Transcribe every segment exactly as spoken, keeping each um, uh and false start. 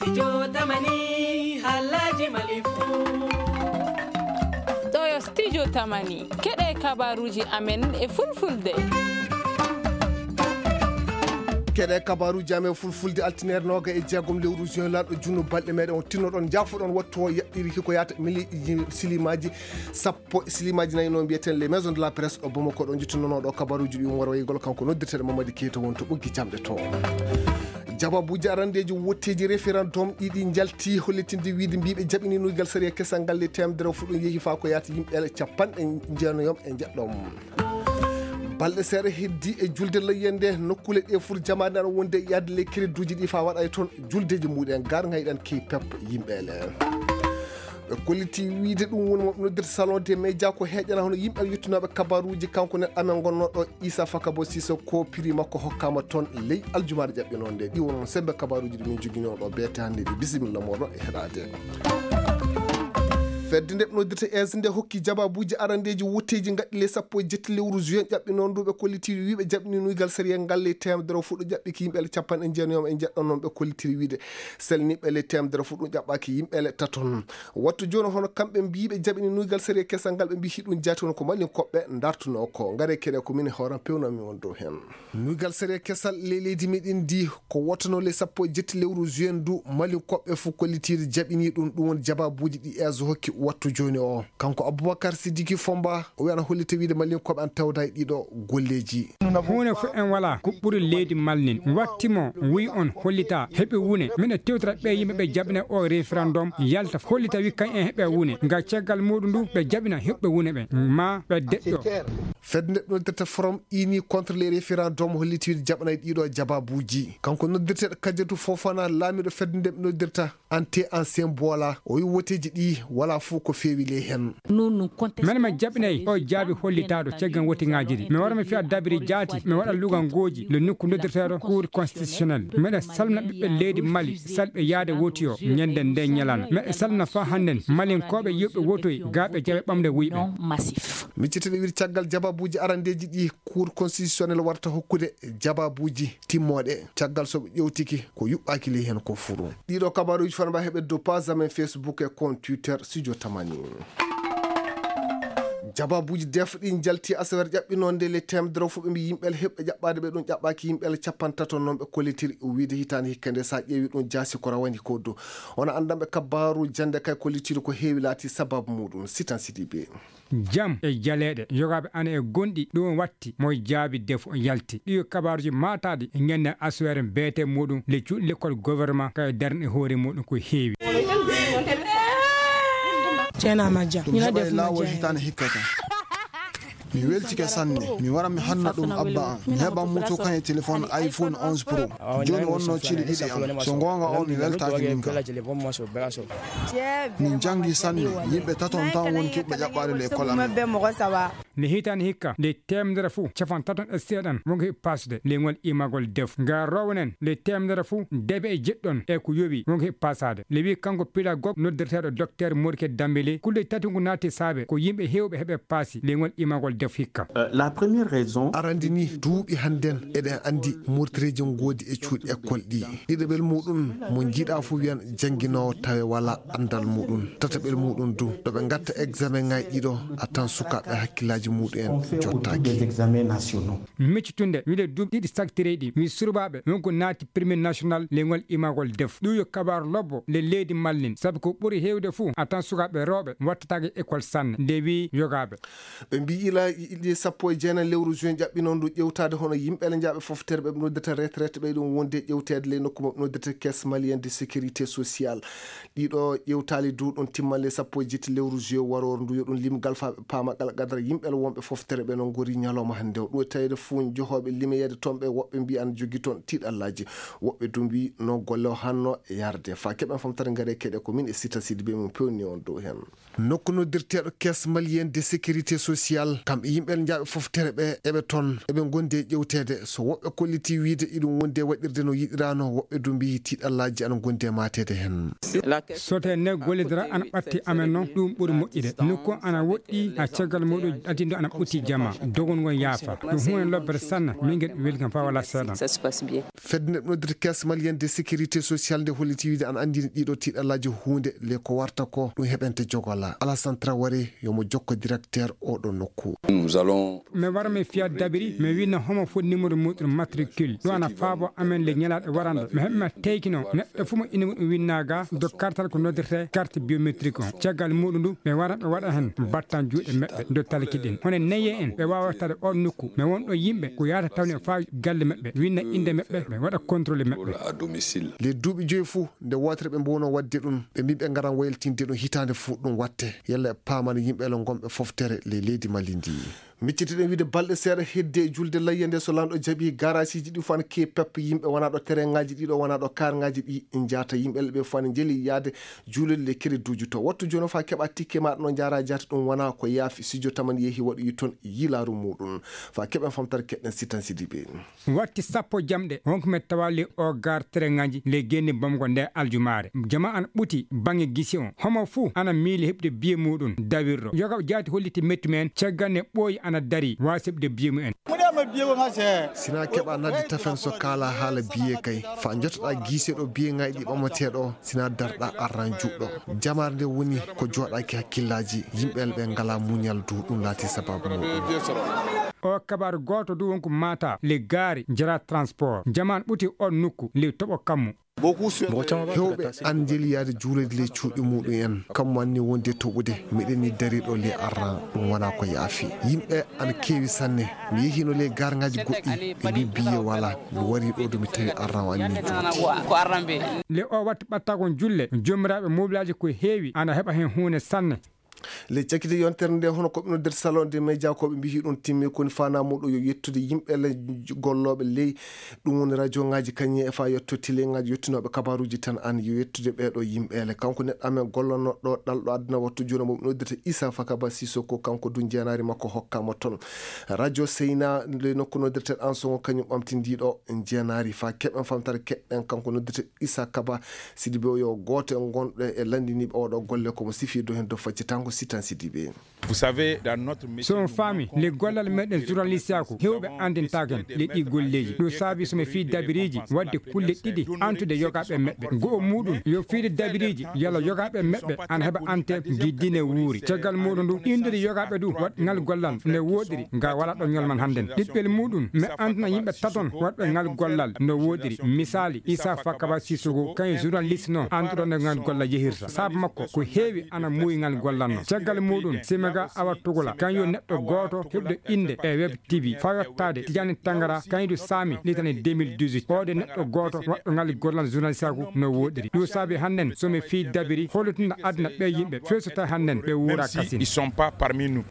Studio Tamani, halaji Mali fu. Ɗo yo Studio Tamani, keɗe kabaruji amen e fulfulde. Keɗe kabaruji amen fulfulde, altinere noga e jeegom lewru juin, lanɗo junno balɗe meɗen on tinnoɗon, jaafoɗon wattu o yaɓɓiri hiko yata mili silimaji sappo. Silimaji nayi no mbiyeten les maisons de la presse ɗo Bamako, ɗo jottinnono ɗo kabaruji ɗi on warwaygol kanko noddirteɗo Mamadi Keita won to ɓoggi jamɗe to. Jababuji arandeji wotteji référendum ɗiɗi jalti hollitinde wiide mbiɓe jaɓini nuygal sariya kesal ngal le temedere fuɗɗo yehi fa ko yata yimɓe capanɗe jeenayom e jeɗɗom. Balɗe seeɗa heddi e julde layyande nokkule ɗe fur jamaade aɗa wonde e yahde les crédit uji ɗi fa waɗa e toon juldeji muɗen gar ngayɗan key pep yimɓe le. Ɓe kolliti wiide ɗum woni mo noddirta salon de média ko heeƴana hono yimɓe yettunooɓe kabaruuji kanko nen amen ngonnooɗo Issa Fakabo Cissokho, piri makko hokkaama toon ley aljumaare ƴaɓɓinoo nde. Ɗi won sembe kabaruuji ɗi min joginoo ɗo beete hannde ɗi. Bisimilla mooɗon e heɗaade. Fedde nde ɓe noddirta es nde hokki jababuuji arandeeji wotteeji ngaɗɗi le sappo e jetti lewru juin ƴaɓɓinoo ndu ɓe kolliti wiiɓe jaɓni nuygal sariya ngal le temedere fuɗɗo ƴaɓɓiki yimɓe le capanɗe jeenayom e jeɗɗo noon ɓe kollitiri wiide selniɓɓe le temedere fuɗɗo ƴaɓɓaki yimɓe le taton. Wattu jooni hono kamɓe mbiiɓe jaɓini nuygal sariya kesal ngal ɓe mbi hiɗum jaati won ko malin koɓɓe dartunoo ko ngare keɗe ko min hooran pewnami on dow heen. Nuygal sariya kesal ley leydi meɗen ndi ko wottanoo le sappo e jetti lewru juin ndu malin koɓɓe fof kollitiiɗo jaɓini ɗum ɗum woni jababuuji ɗi es hokki wattu jooni o. Kanko Aboubacar Sidiki Fomba o wiyana hollita wiide malin koɓe an tawda e ɗiɗo golleeji. Huunde fof en wala ko ɓuri leydi malnin watti mo wi on hollita heɓe wune miɗa tewtata ɓe yimɓe ɓe jaɓina o référendum yalta hollita wi kañ en heɓe wune nga caggal muɗum ndu ɓe jaɓina heɓɓe wune ɓe ma ɓe deƴƴo. Fedde nde noddirta forum ini contre les référendum holliti wiide jaɓanay ɗiɗo jababuuji. Kanko noddirteɗo Kadiatou Fofana laamiɗo fedde nde noddirta ante ancien bola o wi woteji ɗi wala fof ko feewi ley hen. Mene mi jaɓinay o jaabi hollitaaɗo caggan wotiŋaaji ɗi mi wara mi fiya dabiri jaati mi waɗa lugangooji le nokku noddirteeɗo cour constitutionnel. Meɗen salmina ɓiɓɓe leydi mali salɓe yaade woti o ñande nde ñalana meɗen salmina fa hannden malinkooɓe yoɓɓe wotoy gaaɓe jaɓe ɓamde wuyɓe. Micciteɗe wiri caggal jababuuji arandeeji ɗi cour constitutionnel warta hokkude jababuuji timmooɗe caggal so ɓe ƴewtiki ko yuɓɓaaki ley heen ko furu. Ɗiɗo kabaruuji fanba heɓe dow page amen Facebook e compte Twitter Studio Tamani. Jababuuji def ɗi njalti asawer ƴaɓɓinoonde le temedere fof ɓe mbi yimɓe heɓɓe ƴaɓɓaade ɓe ɗum ƴaɓɓaaki yimɓe capantato noon ɓe kollitiri wiide hitaande hikka nde so a ƴeewi ɗum jaasi ko rawani ko dow. Wona anndanɓe kabaaru jannde kay kollitiri ko heewi laati sababu muɗum sitan sidibe. Jam e jaleeɗe yogaaɓe ana e gonɗi ɗum watti mo jaabi defo yalti ɗi kabaaruji maataaɗi e ñande asuwere beete muɗum le cuuɗi lekkol gouvernement kay darni hoore muɗum ko heewi. Ceena majja ina def laawol hitaane hikkata. Mi weltike sanne mi wara mi hanna ɗum abba am mi heɓan muto kan e téléphone iphone onze pro. Jooni wonno cili ɗiɗi am so goonga o mi weltaaki min ka. Min janngi sanne yimɓe taton tan woni kiɓɓe ƴaɓɓaade le école amen. Nde hitaani hikka nde temedere fuu capan taton e seeɗan wonko heɓi paasude leyngol imagol def ngar rowonen nde temedere fuu debe e jeɗɗon e ko yowi wonko heɓi paasaade le wi kanko pédagogue noddirteeɗo docteur morke dambele kulle tati ngu naati saabe ko yimɓe heewɓe heɓe paasi leyngol imagol def hikka. La première raison. Arandi ni duuɓi hannden eɗen anndi murtireeji ngoodi e cuuɗi école ɗi. Ɗiɗaɓel muɗum mo jiiɗa fof wiyan jannginoowo tawe wala anndal muɗum. Tataɓel muɗum du ɗo ɓe ngatta examen ngaji ɗiɗo a tan sukaaɓe hakkillaaji muɗum en jottaaki. Miccitunde wiide duuɓi ɗiɗi saktireyɗi mi surbaaɓe wonko naati premier national leyngol imagol def ɗum yo kabaaru lobbo nde leydi mallin sabu ko ɓuri heewde fof a tan sukaaɓe rewɓe wattataake école sanne nde wi yogaaɓe. Ɓe mbi ila ili sappo e jeenayi lewru juin ƴaɓɓinoo ndu ƴewtaade hono yimɓe le njaaɓe foftere ɓe ɓe noddata retraite ɓeyɗon wonde ƴewteede ley nokku maɓɓe noddata caisse malienne de sécurité sociale. Ɗiɗo ƴewtaali du ɗon timmalle sappo e jetti lewru juin waroor ndu yo ɗum limgal faa ɓe paama qala qadara yimɓe le wonɓe foftere ɓe no ngori ñalawma hannde o ɗum e taweede fof johooɓe limeyeede toon ɓe woɓɓe mbi ana jogii toon tiiɗallaaji. Woɓɓe du mbi no golle o hanno yarde faa keɓen famtare ngare keɗe ko min e sita sidi be mum pewni on dow heen. Nokku noddirteeɗo caisse malienne de sécurité sociale kam Yimɓe njaaɓe fof tere ɓe eɓe toon, eɓe ngondi e ƴewteede. So woɓɓe kollitii wiyde iɗum wondi e waɗirde no yiɗiraano, woɓɓe du mbiyi tiiɗallaaji ana ngondi e maateede heen. So tawii ne gollidora ana ɓatti amen noon, ɗum ɓuri moƴƴude. Nokku ana woɗɗi, a caggal muɗum addindo ana ɓutti jama. Dogol ngol yaafa. Ɗum huunde lobbere sanne, min ngel welcome fa wala seeɗan. Fedde nde noddirta Caisse Malienne de Sécurité Sociale nde holliti wiyde ana anndina ɗiɗo tiiɗallaaji huunde le ko warta ko ɗum heɓente jogola. Alassane Traoré yomo jokko directeur oɗo nokku. Nous allons. Mi wara mi fiya dabiri, mi winna homo foti numéro muɗum matricule. Ɗum ana faabo amen le ñalaɗe warande. Mi heɓma teykino neɗɗo fof mo inde muɗum winna ga, do kartal ko noddirte carte biométrique on. Caggal muɗum ndu, ɓe wara ɓe waɗa hen battan juuɗe maɓɓe do talki ɗin. Hono neye en, ɓe wawa tawde on nokku. Mi won ɗo yimɓe ko yahata tawne fa galle maɓɓe, winna inde maɓɓe, ɓe waɗa contrôle maɓɓe. À domicile. Les duuɓi joyi fof, nde wootere ɓe mbowno waɗde ɗum, ɓe mbi ɓe ngaran waylitinde ɗum hitaande fof ɗum watte. Yalla e paamana yimɓe le ngonɓe foftere le leydi Mali ndi. Miccitiɗen wiide balɗe seeɗa hedde e julde layya nde so lanɗo jaɓi garasiiji ɗi fof ana keewi pep yimɓe wona ɗo terrainŋaaji ɗi ɗo wona ɗo karŋaaji ɗi njaata yimɓe le ɓe fof ana njeli yaade juulirde le kereduuji to. Wattu jooni o fa keɓa tikke maɗa no njaara jaata ɗum wona ko yaafi sijo taman yehi waɗoyi toon yilaaru muɗum. Fa keɓen famtare keɗen Sitan Sidibe. Watti sappo jamɗe, wonko mi tawa le o gar terrainŋaaji le genni bamgo nde aljumaare. Jama an ɓuti baŋŋe gisi on. Homo fuu ana miili heɓde biye muɗum dawirɗo. Yoga jaati holliti mettu men caggal ne ɓooyi ana dari waasi heɓde biye mumen. Sina keɓa nadde tafen so kaala haala biye kay. Fa jotoɗa giise ɗo biye ŋaaji ɗi ɓamateɗo, sina darɗa arran juɗɗo. Jamaare nde woni ko joɗaki hakkillaaji, yimɓe ɓe ngala muñal du ɗum laati sababu muɗum. O kabaru gooto du wonko mata le gaari jara transport. Jaman ɓuti on nokku le toɓo kammu. Hewɓe an njeli yaade juulirde le cuuɗi muɗum en. Kammu an ni wondi e toɓude. Miɗen ni dariɗo le arran ɗum wona ko yaafi. Yimɓe ana keewi sanne. Mi yehino le garŋaaji goɗɗi. Ɓe mbi biye wala. Mi wari ɗo do mi tawi arran o anni juuti. Le o watti ɓattagol julle. Jomiraɓe mobilaaji ko heewi ana heɓa hen huune sanne. Le cakite yontere nde hono ko ɓe noddirta salon de média ko ɓe mbiyi ɗum timmi koni fana muɗum yo yettude yimɓe le gollooɓe ley ɗum woni radio ŋaaji kañum e fa yetto télé ŋaaji yettunooɓe kabaruuji tan an yo yettude ɓeeɗo yimɓe le kanko neɗɗo amen gollannoɗo ɗalɗo aduna wattu jooni mo ɓe noddirta Issa Fakaba Sissoko kanko du jeenaari makko hokkama toon radio Seyna le nokku noddirta an songo kañum ɓamti ndiɗo jeenaari fa keɓen famtare keɓɓen kanko noddirta Issa Kaba Sidibe o yo gooto e gonɗo e lanndiniiɓe oɗo golle ko mo sifi dow heen dow faccitango Sitan Sidibe. Vous savez, dans notre métier, so on faami le gollal meɗen journaliste ako hewɓe andintaken le ɗi golleji ɗum saabi somi fii dabiriji wadde kulle ɗiɗi antude yogaɓe meɓɓe go'o muɗum yo fiide dabiriji yalla yogaɓe meɓɓe ana heɓa ante giddine wuuri caggal muɗum ndu innude yogaɓe du waɗ ngal gollal nde woɗiri nga wala ɗo ñolman hannden ɗiɗɓel muɗum mi andina yimɓe taton waɗɓe ngal gollal no woɗiri misali isa fakaba sisugo kañum journaliste noon anduɗo nde ngal gollal yehirta saabu makko ko heewi ana muuyi ngal gollal noon caggal muɗum simiga awa tugula kañum yo neɗɗo gooto heɓɗo innde e web tv fa yottaade tijani tangara kañum du saami litani deux mille dix-huit oɗo neɗɗo gooto waɗɗo ngal gollal journaliste aku no woɗiri ɗum saabi hannden somi fii dabiri hollitinɗo aduna ɓe yimɓe feeso tawi hannden ɓe wuura kasin ils sont pas parmi nous.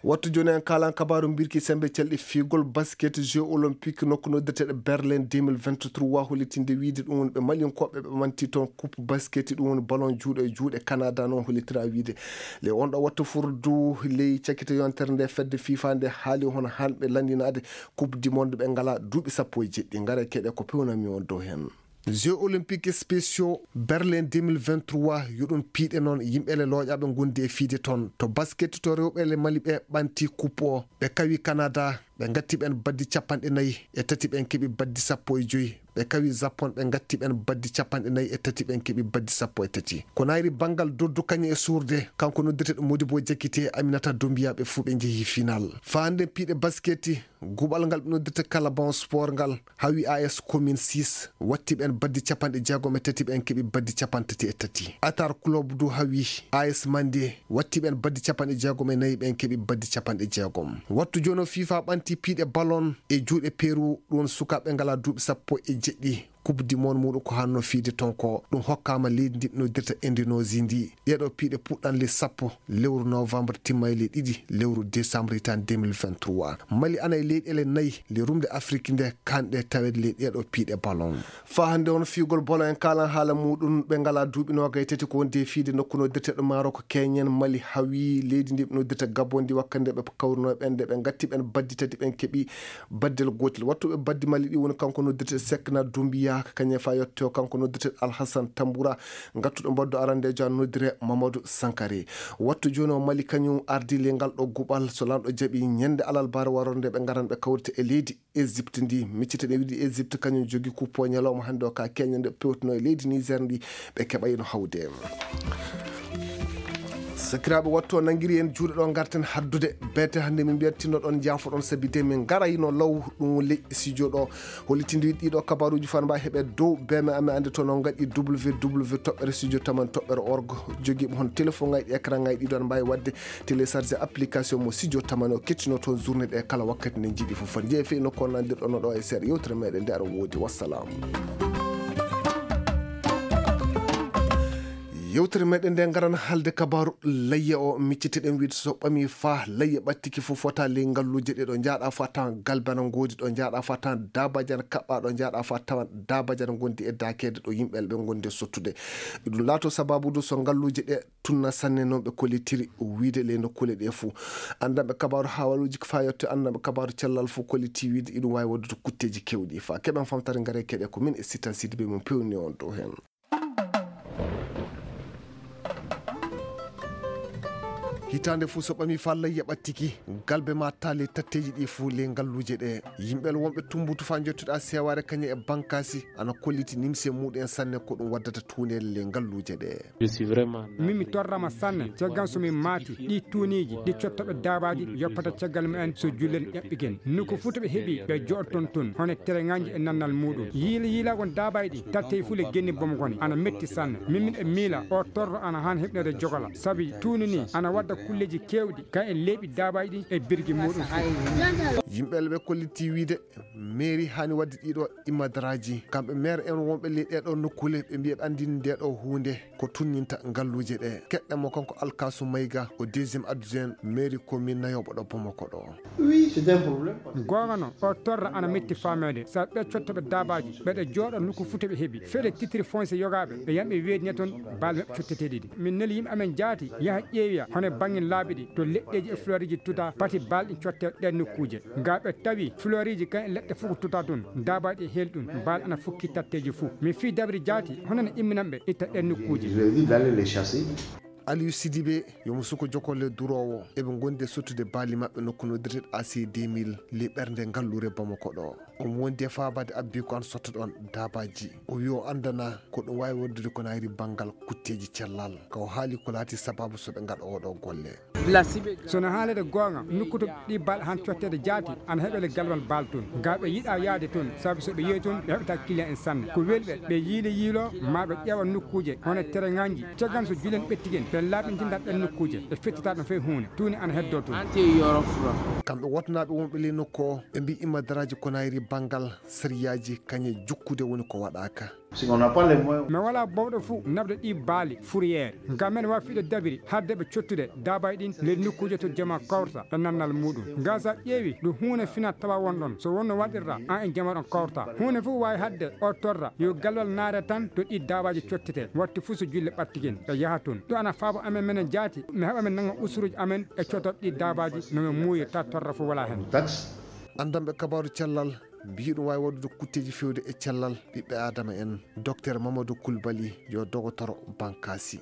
Wattu jooni en kaalan kabaaru mbirki semmbe calɗi fiigol basket jeux olympique nokku noddeteeɗo berlin deux mille vingt-trois hollitinde wiide ɗum woni ɓe malinkooɓe ɓe manti toon coupe basket ɗum woni ballon juuɗe e juuɗe canada noon hollitira wiide le on ɗo wattu furdu ley cakkito yontere nde fedde fifa nde haali hono hanɓe lanndinaade coupe du monde ɓe ngala duuɓi sappo e jeɗɗi ngara keɗe ko pewnami on dow heen. Jeux olympiques spéciaux berlin deux mille vingt-trois yo ɗum piiɗe noon yimɓe le looƴaaɓe ngondi e fiide toon to basket to rewɓe le mali ɓe ɓanti coupe o ɓe kawi canada ɓe ngatti ɓen baddi capanɗe nayi e tati ɓen keɓi baddi sappo e joyi ɓe kawi japon ɓe ngatti ɓen baddi capanɗe nayi e tati ɓen keɓi baddi sappo e tati ko nayri banngal doddu kañum e suurde kanko noddeteɗo modibo jakite aminata dombiya ɓe fuu ɓe njehi final fa hannden piiɗe basket guɓal ngal ɓe noddirta kala bon sport ngal hawi as commune six watti ɓen baddi capanɗe jeegom e tati ɓen keɓi baddi capanɗe tati e tati atar club du hawi as mande watti ɓen baddi capanɗe jeegom e nayi ɓen keɓi baddi capanɗe jeegom wattu jono fifa ɓanti piiɗe ballon e juuɗe peru ɗum sukaaɓe ngala duuɓi sappo e jeɗɗi Coupe du monde muɗum ko hanno fiide ton ko ɗum hokkama leydi ndi ɓe noddirta Indonésie ndi. Ɗeɗo piiɗe puɗɗan le sappo lewru novembre, timma e le ɗiɗi lewru décembre hitande deux mille vingt-trois. Mali ana e leyɗele nayi le rumde Afrique nde kanɗe tawede le ɗeɗo piiɗe ballon. Fa hande on fiigol ballon en kalan haala muɗum, ɓe ngala duuɓi noga e tati ko wonde e fiide nokku noddirteɗo Maroc. Keñen Mali hawi leydi ndi ɓe noddirta Gabon ndi wakkande ɓe kawruno ɓen, nde ɓe gatti ɓen baddi tati, ɓen keeɓi baddel gotel. Wattuɓe baddi Mali ɗi woni kanko noddirte Sekna Dumbiya, kañum fa yetto kanko noddirte Alhassan Tambura, gattuɗo mbaddu arandejo an noddire Mamadou Sankare. Wattu joni o Mali kañum ardi le ngal ɗo guɓal, so lanɗo jaɓi ñande alarbaare warorde ɓe ngaran ɓe kawrita e leydi Égypte ndi. Miccite ɗe wiɗi Égypte kañum jogi kuppo ñalawma hande o ka keñande pewtuno e leydi Niger ndi ɓe keɓayno hawde. Sakiraaɓe, wattu o nangiri en juuɗe ɗo garten haddude beete hannde, min mbiyat tinno ɗon, jaafoɗon sabi de min ngarayno law ɗum leƴƴi studio ɗo. Hollitinde ɗiɗo kabaruuji fan mba heɓe dow beme amen, annde toon on ngaɗi w w w toɓɓere studio taman toɓɓere org. Jogiiɓe hon téléphone ngaji, écran ngaji ɗiɗo, aɗa mbaawi waɗde télécharger application mo studio taman o, kettino toon journée ɗe kala wakkati nde njiɗi fof. Foti jeeya fii nokku on nandirɗon ɗo e seeɗa yewtere meɗen nde aɗa woodi. Wassalam. Yewtere meɗen nde ngaran halde kabaru layya o, micciteɗen wiide so ɓami fa layya ɓattiki fof fota ley ngalluuje ɗe ɗo njaaɗa fa tawan galbe ana ngoodi, ɗo njaaɗa fa tawan dabaji ana kaɓɓa, ɗo njaaɗa fa tawan dabaji ana ngondi e dakede ɗo yimɓe ɓe ngondi e sottude. Ɗum laato sababu du so ngalluuje ɗe tunna sanne noon ɓe kollitiri wiide ley nokkuule ɗe fuu. Anndanɓe kabaru hawaluuji ko fa yetto anndanɓe kabaru cellal fof kolliti wiide iɗum waawi waɗdude kutteeji kewɗi. Fa keɓen famtare ngare keɗe ko min e Sitan Sidibe mo pewni on dow heen. Hitaande fof so ɓami fa layya ɓattiki, galbe ma taale tatteeji ɗi fof ley ngalluuje ɗe. Yimɓe wonɓe Tumbutu fa njottuɗa Sewaare kañe e Bankasi ana kolliti nimse muɗum en sanne ko ɗum waddata tuuneele ley ngalluuje ɗe. Min mi torrama sanne caggal so min maati ɗi tuuniiji ɗi cottoɓe daabaaji yoppata caggal mumen so jullen ƴaɓɓigen. Nokku fuu to ɓe heɓi ɓe joɗoton toon hono tereŋaaji e nannal muɗum. Yiila yiila won daabaaji ɗi tattey fuu le genni bomgoni ana metti sanne. Min miɗa miila o torro ana haan heɓnede jogola sabi tuuni ni ana wadda kulleeji keewɗi ka e leeɓi daabaaji ɗin e birgi muɗum fuu. Yimɓe ɓe kolliti wiide Mairie haani waɗde ɗiɗo imadaraaji. Kamɓe maire en wonɓe ley ɗeɗo nokkule ɓe mbiya ɓe anndini nde ɗo huunde ko tunninta ngalluuje ɗe. Keɗɗen mo kanko Alkasu Mayga, o deuxième adjoint mairie commune nayooɓo ɗo Bamako ɗo. Goonga noon, o torra ana metti fameede. Sabi ɓe cottoɓe daabaaji, ɓeɗe jooɗo nokku fuu to ɓe heɓi. Fele titre foncier yogaaɓe, ɓe yamɓe weedine toon baale maɓɓe cotteteeɗi ɗi. Min neli yimɓe amen jaati yaha ƴeewiya hono e bannge laabi ɗi to leɗɗeeji e fleuriji tuta pati baale ɗin cotte ɗen nokkuuje. Ga ɓe tawi fleuriji kan e leɗɗe fof ko tuta toon, daabaaji e heel ɗum, baale ana fukki tatteeji fof. Mi fii dabri jaati, hono no imminanɓe itta ɗen nokkuuje. Aliou Sidibé, yo mo suko jokolle duroowo, eɓe ngondi e sottude baali maɓɓe nokku noddirteɗo A C deux mille, le ɓernde ngallure Bamako ɗo. Omo wondi e faabaade abbi ko an sotta ɗon daabaaji. O wi o anndana ko ɗum waawi wondude ko nayri banngal kutteeji cellal. Ka o haali ko laati sababu so ɓe ngaɗa oɗo golle. So no haalede goonga, nokku to ɗi baal han cotteede jaati, ana heɓele galwal baal toon. Ga ɓe yiɗa yaade toon, sabu so ɓe yehi toon, ɓe heɓata client en sanne. Ko weli ɓe, ɓe yiili yiilo, ma ɓe ƴeewa nokkuuje, hono tereŋaaji. Caggal so julen ɓettigen, ɓe laaɓintinta ɗen nokkuuje, ɓe fettata ɗum fey huunde. Tuuni ana heddo toon. Kamɓe wotonaaɓe wonɓe ley nokku o, ɓe mbi imma daraaji ko nayri banngal sariyaaji kañe jukkude woni ko waɗaaka. Si on n'a pas les moyens. Mi wala bowɗo fuu naɓde ɗi baali fourrière. Ngam men wafiɗo dabiri hadde ɓe cottude daabay ɗin ley nokkuuje to jama kawrata e nannal muɗum. Ngam sa ƴeewi ɗum huunde fina tawa won ɗon. So wonno waɗirra an e jama ɗon kawrata. Huunde fuu waawi hadde o torra yo galwal naare tan to ɗi daabaaji cottete. Watti fuu so julle ɓattigen ɓe yaha toon. Ɗum ana faabo amen menen jaati mi heɓa min nanga usuruuji amen e cotot ɗi daabaaji no min muuyi ta torra fuu wala hen. Taxe. Anndanɓe kabaaru cellal mbiyi ɗum waawi waɗude kutteeji fewde e cellal ɓiɓɓe Aadama en. Docteur Mamadou Koulibaly yo dogotoro Bankasi.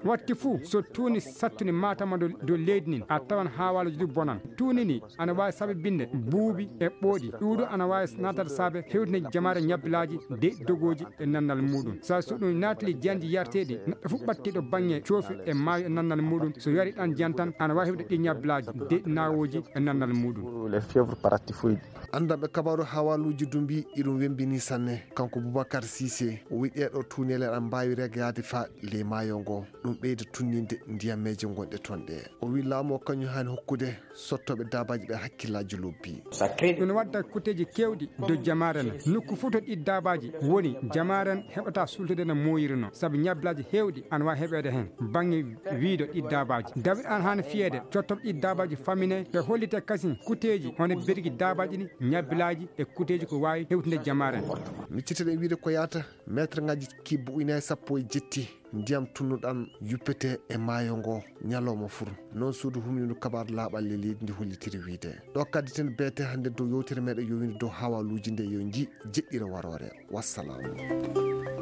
Watti fuu so tuuni sattuni matama dow leydi nin a tawan haawaaluji du bonan. Tuuni ni ana waawi sababinde buubi e ɓooɗi. Ɗuuɗu ana waawi naatata saabe hewtinde jamaare ñabbilaaji de dogooji e nannal muɗum. Sa so ɗum naatili janji yarteeɗi neɗɗo fuu ɓattiɗo baŋŋe coofi e maayo e nannal muɗum so yari ɗan jan tan ana waawi heɓde ɗi ñabbilaaji de naawooji e nannal muɗum. Anndanɓe kabaaru haawaaluuji du mbi iɗum wembini sanne. Kanko Boubacar Cissé o wi ɗeɗo tuuneele aɗa mbaawi regaade fa ley maayo ngo, ɗum ɓeyda tunninde ndiyameeje gonɗe toon ɗe. O wi laamu o kañum haani hokkude sottooɓe daabaaji ɓe hakkillaaji lobbi. Ina wadda kutteeji keewɗi dow jamaaren. Nokku fof to ɗi daabaaji woni, jamaaren heɓata sultude no mooyiri no, sabu ñabbilaaji heewɗi ana waawi heɓeede heen. Baŋŋe wiido ɗi daabaaji, dawit an haana fiyeede cottoɓe ɗi daabaaji famine, ɓe hollite kasin kutteeji hono birgi daabaaji ɗi, ñabbilaaji e kutteeji ko waawi hewtinde jamaaren. Micciteɗen wiide ko yaata meetre ngaji kibbo ujunaaji sappo e jetti ndiyam tunnuɗam yuppete e maayo ngo ñalawma fur. Noon suudu humnindu kabaar laaɓal e leydi ndi hollitiri wiide. Ɗo kaddi ten beete hannde dow yewtere meɗen yowinde dow hawaluuji nde yo nji jeɗɗira waroore. Wassalaamu.